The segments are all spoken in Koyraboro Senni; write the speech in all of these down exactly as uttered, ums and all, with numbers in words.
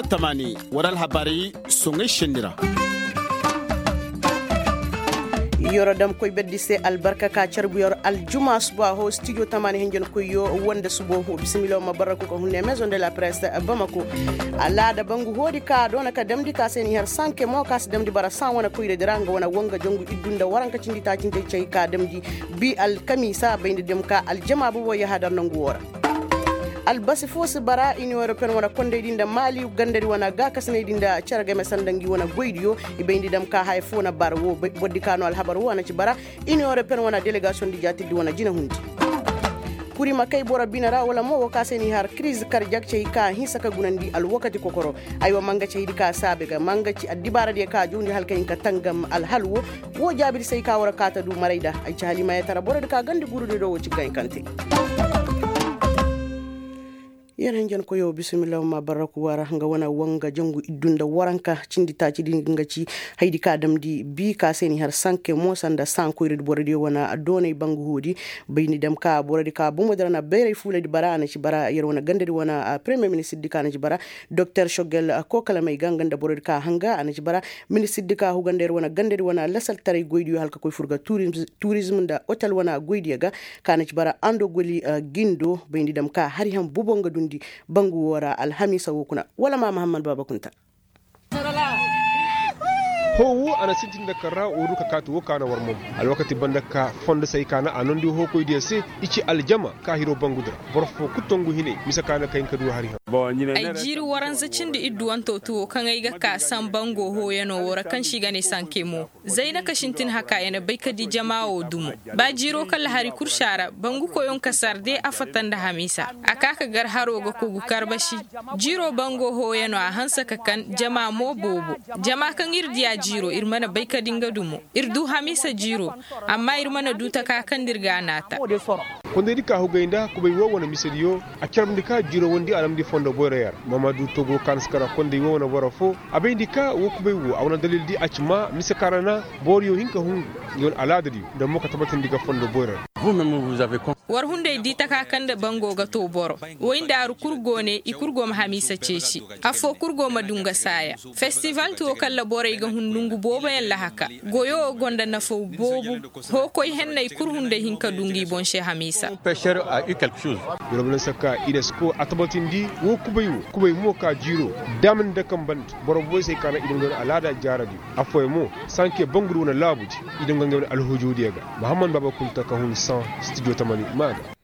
Tamaani war alhabaari soŋay senni ra. Yoro dam koy berdi se albarka ka carbu yor aljuma suba ho stijo tamaani hinjan koyyo wanda subo ho bisimilo ma barraku ka hunne maison de la presse bamako. Alaada bangu hoodi ka doona ka damdi ka se ni har sanke mo ka si damdi bara san wane koyradi ra nga wane wanga jangu iddu nda waranka cindi taaci nda cay ka damdi bi alkamiisa bayndi dam ka aljama bobo yahadar nangu wo ra. Albasi fo si bara iniyoŋ europeyen wane kondaydi nda maali gandadi wane gaakasinaydi nda cere game sanda ngi wane goydiyo. I bayndi dam ka haya fo na bara wo bordi ka no alhabar wo a na ci bara iniyoŋ europeyen wane delegasiyoŋ di jaatirdi wane jinahundi. Kuri ma kay boro bine ra wala mo wo ka se ni har kiriz karjak cay ka hinsa ka gunandi alwakati kokoro. Aywa manga caydi ka saabe ga manga ci addibaaradiyo ka jowndi hala ka hin ka tangam alhal wo. Wo jaabir se ay ka war a kaata du maray da ay ci halimaayatara borodi ka gandi gurudiyo do wo ci gankante. Yer hanjan koyo bisimilla ma barraku wara nga wana wanga jangu iddu nda waranka cindi taaci di nga ci haydi ka damdi bi ka se ni har sanke mo sanda sankoyrodi borodi wana doonay bangu hoodi. Bayni dam ka borodi ka bomodi ra na bayray fuuladi bara a na ci bara yer wana gandadi wana premier ministirdi ka na ci bara doktor shogel kokalamay ga nga nda borodi ka hanga a na ci bara. Ministirdi ka huganda yer wana gandadi wana lasaltaray goydiyo hala ka koy fur ga turizm nda otel wana goydiyo ga. Ka na ci bara ando goli gindo bayndi dam ka hari han bobo nga dundi bangu wo ra alhamiisa wo kuna wala ma mahammad baaba kunta. Hoo wo a na sintin nda kar ra woo du ka kaati woo ka na war mom alwakati banda ka fondo se ay ka na a nondi hookoydiyo se. I ci aljama ka hiroo bangu di ra boro foo kul tongu hinay mise ka na ka hin ka du hari han. Ay jiiri waranza cindi idduwanto tuwo kaŋ ay ga ka sambango hooyanoo woo ra kaŋ se i ga ne sanke mo. Zayna ka sintin haka ya na bay ka di jama woo dumo. Ba jiiroo kala hari kul si a ra bangu koyoŋ ka sarde a fatta nda hamiisa. A ka ka gar haroo ga kogu karbasi. Jiiroo bango hooyanoo a hanse ka kan jama mo boobo. Jama kaŋ ir diya jiiroo ir mana bay ka di nga dumo. Ir du hamiisa jiiroo. Amma ir mana du taka kaŋ nda ir ga a naata. Kondaydi ka hugay nda kubay woo wane misediyo. A carbundi ka jiiroo wondi a damndi fondo boyroyoo ra. Maamadu togo kaanaskara konday woo wane boro foo. A bayndi ka woo kubay woo a wane dalildi a ci maa mise ka ra na booriyoo hin ka hungu. Nga wane alaadadiyo nda mo ka tabatindi ga fondo boyro ra. War hunday di taka kaŋ nda bango ga too boro. Woy ndaaru kul go ne i kul go ma hamiisa ceeci. Affoo kul go ma du nga saaya. Festival tuwo kalla borey ga hun nongu booboyaŋ lahaka. Goyoo go nda nafaw boobo. Hookoy henney kul hunday hin ka du ngi boŋ se hamiisa. Yorobalansa ka inesko a tabatindi woo kubay woo kubay mo ka jiiroo. Daamandi nda kambandi boro boboy se ka na i daŋ nda wane alaada jaaradi. Affooyaŋ mo sanke bangudi wane laabudi. I daŋ ga ngey wane alhujuudiyo ga. Mahammad baaba kunta ka hun san stijo tamani maa ga.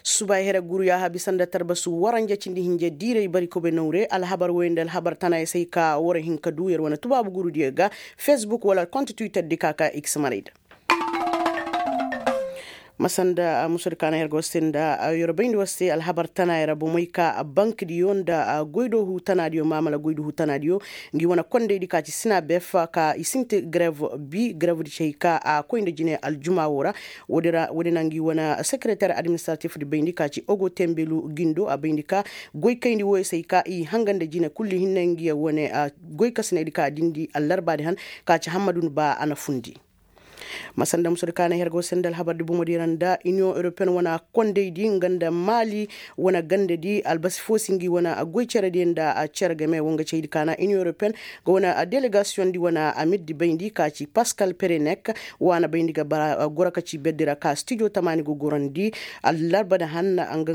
Suba here guru yaaha bisa nda tarbasu waranja cindi hinja diiray bari kobe nawre alhabar woy nda alhabar tanaaya se ay ka war hin ka du yer wane tubaabu gurudiyo ga. Fesbuk wala kont twitter di ka ka x maray da. Masanda musudi ka na her go se nda yer bayndi war se alhabar tanaaya ra bomey ka bankdiyo nda goydoohu tanaadiyo maamala goydoohu tanaadiyo. Ngi wane kondaydi ka ci sina bef ka i sinti grev bi grevdi ci hay ka a koy nda jine aljuma wo ra. Woodi na ngi wane sekereter administratif di bayndi ka ci ogo tembelu gindo a bayndi ka goy kayndi woyo se hay ka i hanga nda jine kulli hinne ngi ya wane goy kasinaydi ka dindi allarbaadi han ka ci hammadun ba a na fundi. Masanda musudi ka na her go se nda alhabardi bomodi ra nda iniyoŋ europeyen wane kondaydi nga nda maali wane gandadi albasi fo si ngi wane goy cerediyo nda cere game wo nga caydi ka na iniyoŋ europeyen ga wane delegasiyoŋ di wane amirdi bayndi ka ci paskal perenek. Waana bayndi ga bara goro ka ci berdi ra ka stijo tamaani ga gorandi. Allarba nda hanna nga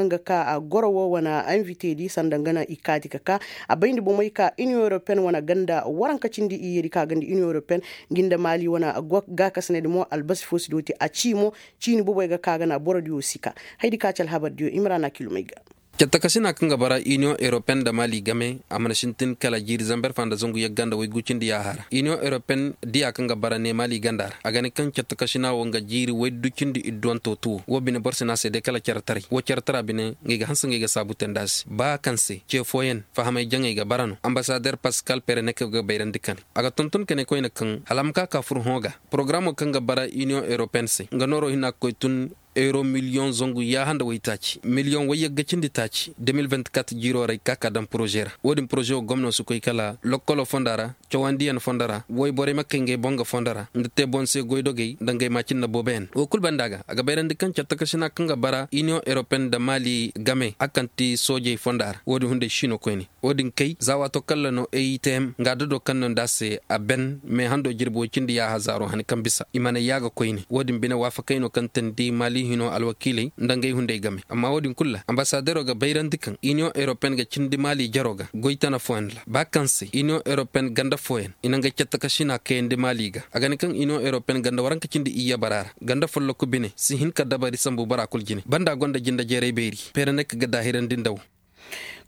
nga ka goro wo wane invitedi sanda nga na i kaati ka ka a bayndi bomey ka iniyoŋ europeyen wane ganda waranka cindi iyyedi ka ganda iniyoŋ europeyen. Ngi nda maali wane gaakasinedi mo albasi fo si dooti a ci mo. Ciini boboy ga ka ga na borodiyo si ka haydi ka ci alhabardiyo imrana kilomey ga. Cattakasina kaŋ ga bara iniyoŋ europeyen nda maali game a mana sintin kala jiiri zamber fa nda zangu yagga nda waygu cindi yaaha ra iniyoŋ europeyen diya kaŋ ga bara ne maali ganda ra a ga ne kaŋ cattakasina wo nga jiiri waydu cindi idduwanto tuwo wo bine boro si ne a se day kala caretaray wo ceretara bine nga ay ga hanse nga ay ga saabu te nda a se ba kaŋ se ce fooyaŋ fahamay jaŋay ga bara no ambasader paskal pereneke ga bayrandi kane. A ga tonton kane koyne kaŋ hala a ma ka ka fur hõ ga porogaraamo kaŋ ga bara iniyoŋ europeyen se nga nooro hina ga koy tun. euro miliyoŋ zangu yaaha nda waytaaci miliyoŋ wayyagga cindi taaci de mil vinti kat jiiroo ra i ka ka daŋ poroze ra. Wo-din poroze wo gomno si koy kala lokkoloo fonda ra, cawandiyaŋ fonda ra, woy borey ma kay ngey boŋ ga fonda ra nda te boŋ se goydogey nda ngey maacinna booboyaŋ. Wo kul banda ga a ga bayrandi kaŋ cattakarsinaa kaŋ ga bara iniyoŋ europeyen nda maali game a kaŋ ti soojey fonda ra wo-din hunday siino koyne. Wo-din kay za waato kaŋ ra no e i te hem nga dodo kaŋ no nda a se a ben me hando jirbi woy cindi yaaha zaaro hani kaŋ bisa i mana yaaga koyne. Wo-din bine waafakey no kaŋ teendi maali hino alwakiiley nda ngey hunday game amma wo-din kul ra ambasadero ga bayrandi kaŋ iniyoŋ europeyen ga cindi maali jaroo ga goy tana fooyaŋ ra ba kaŋ se iniyoŋ europeyen ganda fooyaŋ i na ngey cattakasina kayandi maali ga. A ga ne kaŋ iniyoŋ europeyen ganda waranka cindi iyye bara ra ganda folloku bine si hin ka dabari sambu bara kul jine banda gonda jinda jeeray beeri. Peere ne ka ga daahirandi nda wo.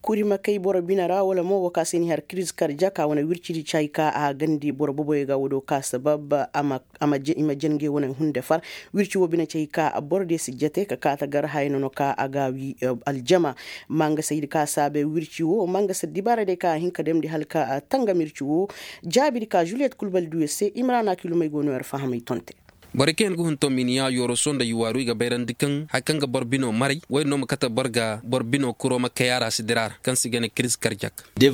Kuri ma kay boro bine ra wala mo wo ka se ni har kiriz karjak a wane wircidi ci hay ka a gandi boro boboyo ga wo do ka sabab a ma i ma jangey wane hunde far. Wirci wo bine ci hay ka boro diyo si jate ka kaata gar haya nono ka a ga wi aljama. Mangasa ir ka saabe wirci wo mangasa dibaara day ka a hin ka damndi hala ka tangam wirci wo. Jaabidi ka juliyet kulbal duyo se imrana kilumey go no yar fahamey tonte. Borey kaŋ yaŋ ga hun tominiya yoroso nda yuwaaru i ga bayrandi kaŋ hari kaŋ ga boro bino maray wo-din no ma kate boro ga boro bino kuro ma kay a ra si dira ra kaŋ se i ga ne kiriz karjak. Da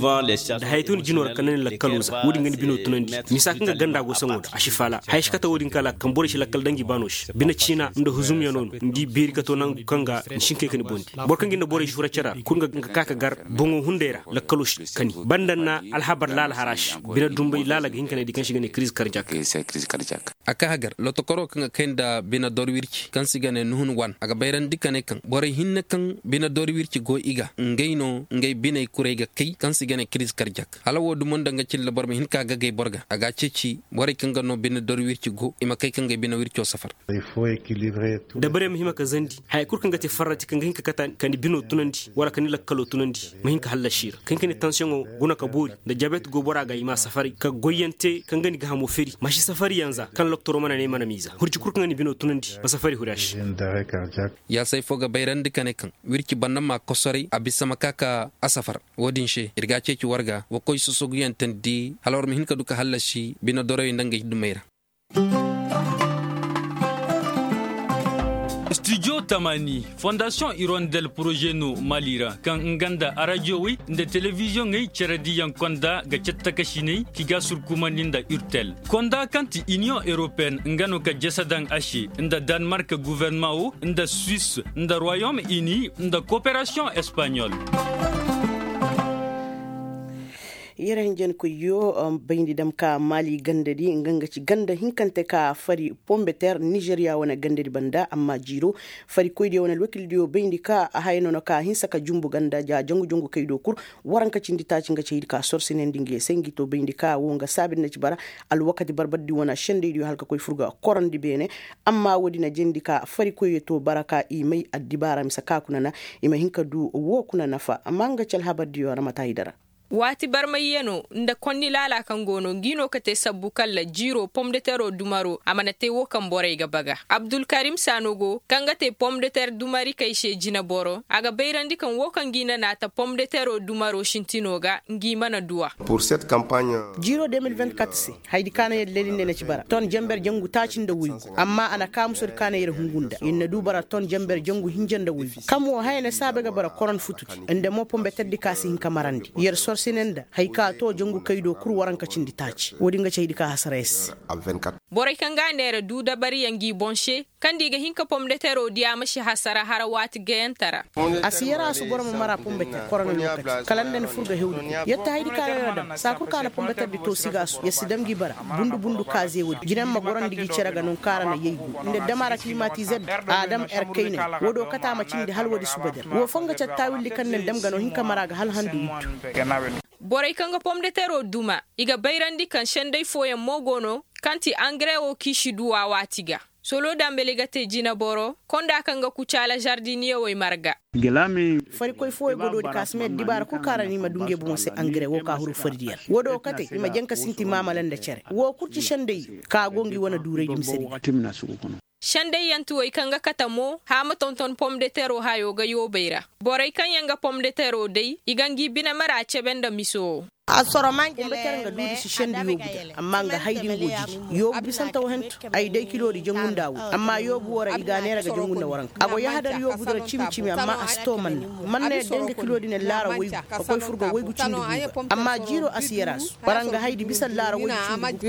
haya tun jinoo ra kaŋ na ni lakkalo za wo-din ga ni bino tunandi. Misa kaŋ ga ganda go saŋo da a si faala haya si kate wo-din kala kaŋ borey si lakkal danji baano se bine ciina nda huzumyano no ni di beeri kato nangu kaŋ ga ni si hin kay ka ni boŋ di. Boro kaŋ ga ni da borey si fura cere ra kulu nga ka ka gar boŋo hunday ra lakkalo si kani banda na alhabar laala hara se. Bine dumbay laala ga hin ka ne di kaŋ se i ga ne kiriz karjak. A ka hagar lotokoro kaŋ ga kay nda bine dor wirci kaŋ se i ga ne nuhun wan a ga bayrandi ka ne kaŋ borey hinne kaŋ bine dor wirci go i ga ngey no ngey biney kurey ga kay kaŋ se i ga ne kiriz karjak hala wo dumo nda nga cilla boro ma hin ka gagay boro ga a ga a ceeci borey kaŋ ga no bine dor wirci go i ma kay ka ngey bine wirco safar. Dabarey ma hima ka zandi haya kulu kaŋ ga te farrati kaŋ ga hin ka kata ka ni bino tunandi wala ka ni lakkalo tunandi ma hin ka hallasi i ra kaŋ ka ni tansiyoŋo guna ka boori nda jabet go bora ga i ma a safari ka goyyaŋ te kaŋ ga ni gahamo feri ma si safari yaŋ za kaŋ loktoro mana ne mana miiza hurci kulu kaŋ ga ni bino tunandi ma safari huri a se. Yaasay fo ga bayrandi ka ne kaŋ wirci banda ma kosoray a bisa ma ka ka a safar. Wo-din se ir ga a ceeci war ga wa koy sosoguyaŋ teendi hala war ma hin ka du ka hallasi bine doroyey nda ngey dumey ra. Studio tamani fondasiyoŋ irondel poroze no mali ra kaŋ nga nda arajowey nda telebiziyoŋey cere diyaŋ konda ga cattakasiney ki ga surkumandi nda urtel konda kaŋ ti iniyoŋ europeyenne nga no ka jese daŋ a se nda danmark guverneman wo nda suwis nda royom ini nda koperasiyoŋ espanyol. Yere hinjankoyyo bayndi dam ka mali gandadi nga nga ci ganda hinkante ka fari pombeter nizeriya wane gandadi banda amma jiiro farikoydiyo wane alwakildiyo bayndi ka a haya no na ka hinsa ka jumbu ganda ja jangu jangu kay do kul. Waranka cindi taaci nga ci haydi ka sorsinandi nga ye se ngi to bayndi ka wo nga saabir na ci bara alwakati barbardi wane sendaydiyo hala ka koy fur ga korandi beene. Amma woodi na jandi ka farikoyyo to bara ka i may addibaara mise ka kuna na i ma hin ka du wo kuna nafa amma nga ci alhabardiyo ra mata i dara. Waati barmayyano nda konni laala kaŋ go no ngi no ka te sabbu kalla jiiro pomdetero dumaro a mana te wo kaŋ borey ga baga abdulkarim sanogo kaŋ ga te pomdeter dumarikey se jineboro a ga bayrandi kaŋ wo kaŋ ngi na naata pomdetero dumaro sintino ga ngi mana du a. Jiiro de mil vingt kat se hayadi ka na yer lelinde na ci bara ton jamber jangu taaci nda woygu amma a na kaamusodi ka na yer hungu nda yer na du bara ton jamber jangu hinja nda woygu kam wo haya na saabe ga bara koron futu nda mo pombeterdi ka si hin ka marandi yer sorsine nda haya ka to jangu kay do kul waranka cindi taaci woodi nga ci hayadi ka hasara yer se. Borey kaŋ ga a neera du dabariyaŋ ngi boŋ se kaŋ da i ga hin ka pomdetero diya ma si hasara hara waati gayante ra. A si yara a su boro ma mara pombeter korona lokaci kala nda ni fur ga hewdi kul yer ta hayadi ka no yer dam saa kul ka na pombeterdi to sigaasu yer si dam ngi bara bundu bundu kaaze woodi jinaŋ ma gorandi ngi cere ga nonka ra na yaygu nda dam a ra klimatizer da a dam er kaynay woodi wo kate a ma cindi hala woodi suba der wo fo nga cattaawildi kaŋ naŋ dam ga no hin ka mara ga hala handu iddu. Borey kaŋ ga pomdetero duma i ga bayrandi kaŋ senday fooyaŋ mo go no kaŋ ti angare wo kaŋ i si du a waati ga solo dambali ga te jineboro konda kaŋ ga kucaala zardiniyewey marga. Farikoy fooyaŋ go doodi ka si may addibaara kul kaŋ ra no i ma du ngey boŋo se angare wo ka huru fari diyaŋ woodi wo kate i ma jaŋ ka sinti maamala nda cere wo kul ci senday ka go ngi wane duuraydi mise diyaŋ. Sendayyantiwey kaŋ ga kate mo haama tonton pomdetero hayo ga yoobey ra. Borey kaŋ yaŋ ga pomdetero day i ga ngi bine mara cebe nda miso wo. Pombeter nga duudi si sendi yoobu da amma nga haydi ngo jiji. Yoobu bisante wo hento ay day kiloodi jangu nda woy amma yoobu wo ra i ga a neera ga jangu nda waranka a go yahadar yoobu da ra cimi-cimi amma a si too manna. Manna yadda nga kiloodi ne laara waygu ka koy fur ga waygu cindi guuba amma jiiro a si yar a su. War nga haydi bisa laara waygu cindi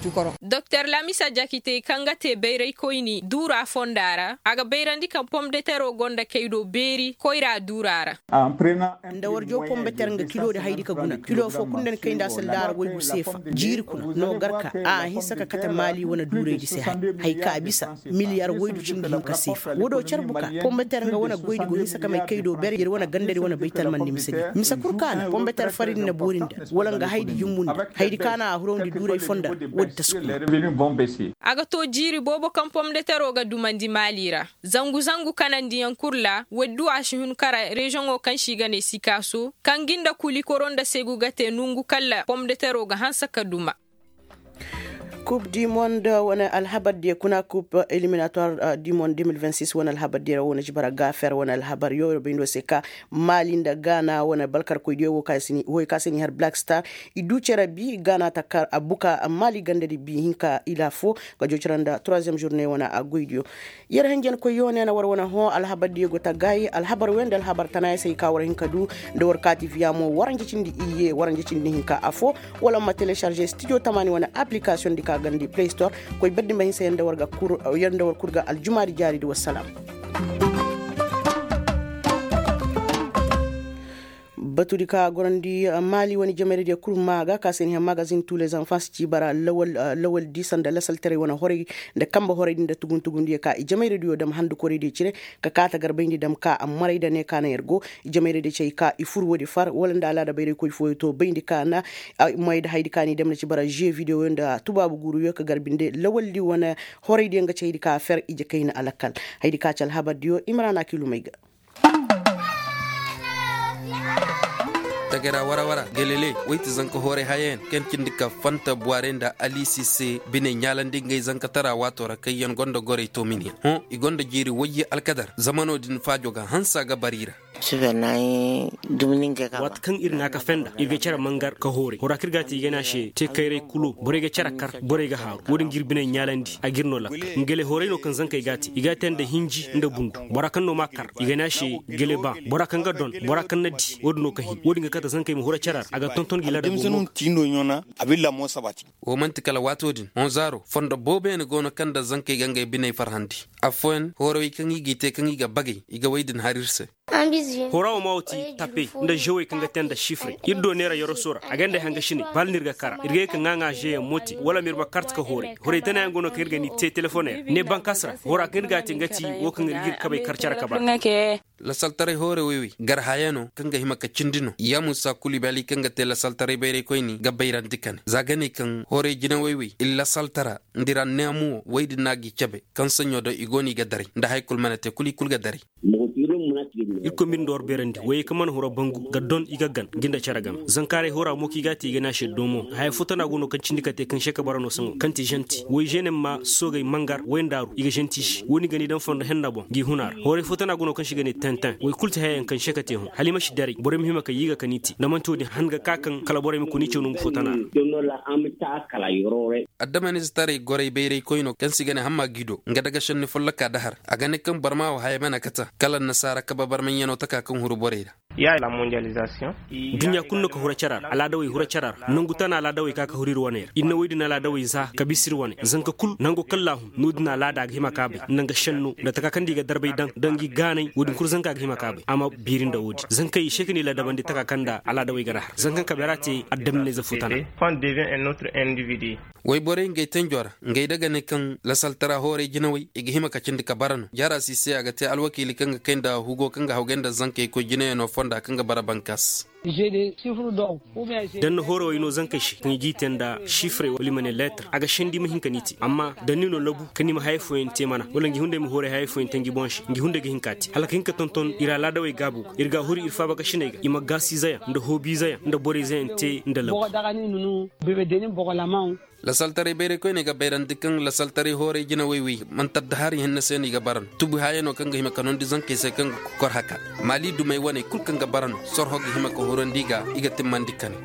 guuba. Doktor lamisa jakite kaŋ ga te bayraykoyni duura fonda ra a ga bayrandi kaŋ pomdetero go nda kay do beeri koyra duura ra. Nda war jaw pombeter nga kilo di haydi ka guna kilo foo kulu nda ni kay nda a si laara waygu seefa jiiri kuna no gar ka a hinsa ka kate maali wane duuraydi se hari. Hay ka bisa miliyar waydu cindi hinka seefa woo do car buka pombeter nga wane goydi go hinsa ka may kay do ber yer wane gandadi wane baytalmandi mise di mise kul ka na pombeter faridi na boori nda wala nga haydi jumbundi haydi ka na a hurawndi duuray fonda. Woodi taskuma. A ga too jiiri boobo kaŋ pomdetero ga dumandi maali ra. Zangu zangu kanandiyaŋ kul ra woy du a si hun kara reziyoŋo kaŋ se i ga ne sikaaso kaŋ gi nda kuli koro nda seegu ga te nongu kalla pomdetero ga hanse ka duma. Kub di mond wane alhabar diyo kuna kub eliminatwar di mond de mil vingt six wane alhabar diyo ra wane jibara gafer wane alhabar yo ra bayndo se ka maali nda gaana wane balkarkoy diyo wo kaŋ se ni har black star. I du cere bi gaana ta kar a buka maali ganda di bi hinka ila fo ga joocira nda troisième journée wane a goy diyo. Yer hinjankoy yo ne na war wane hõ alhabar diyo go ta gaayi alhabar wey nda alhabar tana ya se i ka war hin ka du nda war kaati viya mo waranja cindi iyye waranja cindi hinka afo. Wala ma telecharge studio tamaani wane application di ka gandi play store. Koy baddi ma hinsa yer nda war kul ga aljumaari jaari di wassalam. Batudi ka gorandi maali wane jamayra diyo kul maa ga ka se ni he magazin tu les enfants ci bara lawal di sanda lasaltaray wane horay nda kamba horay di nda tugun tugun diyo ka i jamayra diyo dam handu koray diyo cire. Ka kaata garbayndi dam ka a maray nda ne ka na yer go i jamayra diyo ci hay ka i fur woodi far wala nda alaada bayray koy fooyo to bayndi ka na. May nda haydi ka ni dam na ci bara jeu video yo nda tubaabu guuru yo ka garbi nde lawal di wane horay diyo nga ci haydi ka fer ije kayna alakal. Haydi ka ci alhabar diyo imrana kilumay ga. Tagara wara wara gelele wayti zanka hooray hayayaŋ kaŋ cindi ka fanta buwaarey nda alisi se biney ɲaalandi ngey zankatara waato ra kaŋ yaŋ gonda goray toominiyaŋ hõ i gonda jiiri wayye alkadar zama no-din faajo ga hansa ga bara i ra. Waati kaŋ ir n'a ka fenda ir ga care mangar ka hooray hora kaŋ ir ga a te i ga ne a se te kayray kulo borey ga care kar borey ga haaru wo-din ga ir biney ɲaalandi a ga ir no lakkal. Ngele hooray no kaŋ zankey ga a te i ga a te nda hinji nda bundu bora kaŋ no m'a kar i ga ne a se gele ba bora kaŋ ga don bora kaŋ na di wo-din no ka hin wo-din ga kate zankey ma hura care ra a ga tonton gi laada. Woo man'ti kala waato din honzaaro fondo boobeyaŋ go no kaŋ nda zankey ga ngey biney farhandi. Affooyaŋ hoorawey kaŋ i g'i te kaŋ i ga bagay i ga wey din har ir se. Hora wo ma wo ti tape nda žewey kaŋ ga te nda sifre ir do neera yoroso ra a ga nda ay hangasiney bala no ir ga kara ir ga ye ka ŋaaŋaa žeyaŋ mo te wala ma ir ma kart ka hooray horay tanayaŋ go no kaŋ ir ga ni te telefoney ra ne bankas ra hora kaŋ ir ga a te nga ti wo kaŋ ir ga ir kabey kar care ka bara. Lasaltaray hoore woy-woy gar hayano kaŋ ga hima ka cindi no ya muusa kulu i bali kaŋ ga te lasaltaray bayraykoyni ga bayrandi kane za ga ne kaŋ hoore jinawey-woy i lasaltara nda ir anneemu wo woy din no a g'i cabe kaŋ saɲɲo do i go no i ga daray nda haya kulu mana te kulu i kulu ga daray. Irkoy m'ir nda war beerandi woyey kaŋ mana hura bangu ga don i ga gan ngi nda care game zankaaray hora mo kaŋ i ga a te i ga ne a se doomo haya fo tana go no kaŋ cindi ka te kaŋ se ka bara no saŋo kaŋ ti žanti woy žeenem ma soogay mangar woy ndaaru i ga žanti se wo-din ga ni daŋ fondo henna boŋ ngi huna ra hooray fo tana go no kaŋ se i ga ne tenten woy kulu ti hayayaŋ kaŋ se ka te hõ hala i ma si daray borey ma hima ka yiiga ka ni te nda man'ti wo-din han ga ka kaŋ kala borey ma koy ni caw nangu fo tana ra. Adamanize taray goray bayraykoyno kaŋ se i ga ne hamma gido nga daga šenni folloka dahar a ga ne kaŋ barma wo haya mana kata kala annasaara kabe barmayyano taka kaŋ huru borey ra. Duɲɲa kulu no ka hura cara ra alaadawey hura cara ra nangu tana alaadawey ka ka huru ir wane ra ir na woy din alaadawey za ka bisa ir wane zanka kulu nango kaŋ laahum no-din alaada a ga hima ka bay nda nga šenno nda taka kaŋ nda i ga darbay daŋ nda ngi gaanay wo-din kulu zanka ga hima ka bay a ma biiri nda wo-din zankey i se ka ni ladabandi taka kaŋ nda alaadawey ga ra har zanka kaŋ ka bay ra te adamnize fo tana. Wayborey ngey tenjo ra ngey da ga ne kaŋ lasaltara hooray jinawey i ga hima ka cindi ka bara no jaara si se a ga te alwakiili kaŋ ga kay nda hugo kaŋ ga hawgay nda zankey koy jinayano fonda kaŋ ga bara bankas. Da ni na hoorawey no zankey se kaŋ i g'i te nda sifre wala i ma ne leetar a ga sendi i ma hin ka ni te amma da ni no labu kaŋ ni ma haya fooyaŋ te mana wala ngi hunday ma hooray haya fooyaŋ te ngi boŋ se ngi hunday ga hin ka te hala ka hin ka tonton ir alaadawey gaabo ga ir ga a huri ir faabakasiney ga i ma gaasiizeyaŋ nda hoobiizeyaŋ nda borey izeyaŋ te nda labu. Lasaltaray bayraykoyney ga bayrandi kaŋ lasaltaray hooray jinawey wi manti adda hari hinne se no i ga bara no tubi hayano kaŋ ga hima ka nondi zankey se kaŋ ga kokor haka maali dumey waney kulu kaŋ ga bara no sorho ga hima ka hurandi ga i ga timmandi kane.